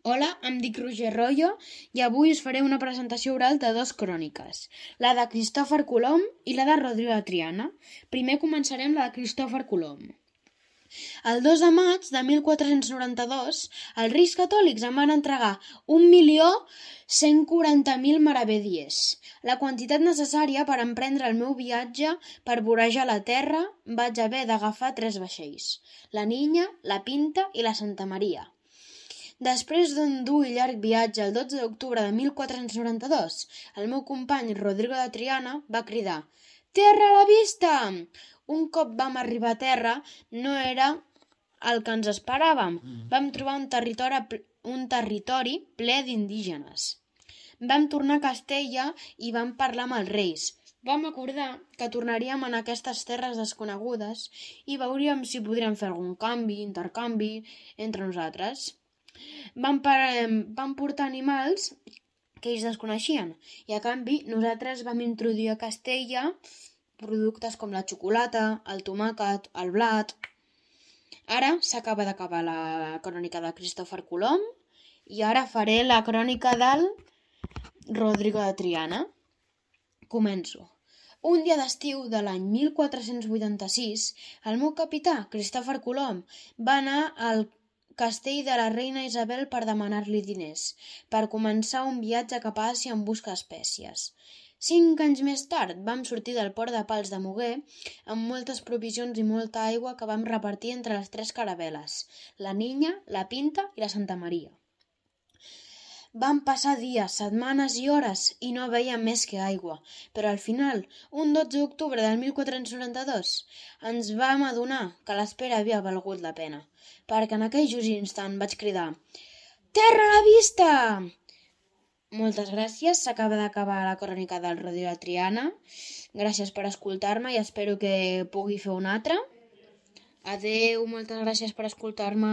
Hola, em dic Roger Royo i avui us faré una presentació oral de dues cròniques, la de Cristòfor Colom i la de Rodrigo de Triana. Primer començarem la de Cristòfor Colom. El 2 de maig de 1492, els Reis Catòlics em van entregar 1.140.000 maravedíes, la quantitat necessària per emprendre el meu viatge per vorejar la terra. Vaig haver d'agafar 3 vaixells, la Niña, la Pinta i la Santa Maria. Després d'un dur i llarg viatge, el 12 d'octubre de 1492, el meu company Rodrigo de Triana va cridar «Terra a la vista!». Un cop vam arribar a terra, no era el que ens esperàvem. Vam trobar un territori ple d'indígenes. Vam tornar a Castella i vam parlar amb els reis. Vam acordar que tornaríem en aquestes terres desconegudes i veuríem si podríem fer algun intercanvi entre nosaltres. Vam portar animals que ells desconeixien i a canvi nosaltres vam introduir a Castella productes com la xocolata, el tomàquet, el blat. Ara s'acaba d'acabar la crònica de Cristòfor Colom i ara faré la crònica del Rodrigo de Triana. Començo. Un dia d'estiu de l'any 1486, el meu capità, Cristòfor Colom, va anar al castell de la reina Isabel per demanar-li diners, per començar un viatge cap a Àsia en busca d'espècies. 5 anys més tard vam sortir del port de Pals de Muguer amb moltes provisions i molta aigua que vam repartir entre les 3 caravel·les, la Niña, la Pinta i la Santa Maria. Vam passar dies, setmanes i hores i no veiem més que aigua, però al final, un 12 d'octubre del 1492, ens vam adonar que l'espera havia valgut la pena, perquè en aquell just instant vaig cridar «Terra a la vista!». Moltes gràcies, s'acaba d'acabar la crònica del Rodrigo de Triana. Gràcies per escoltar-me i espero que pugui fer una altra. Adeu, moltes gràcies per escoltar-me.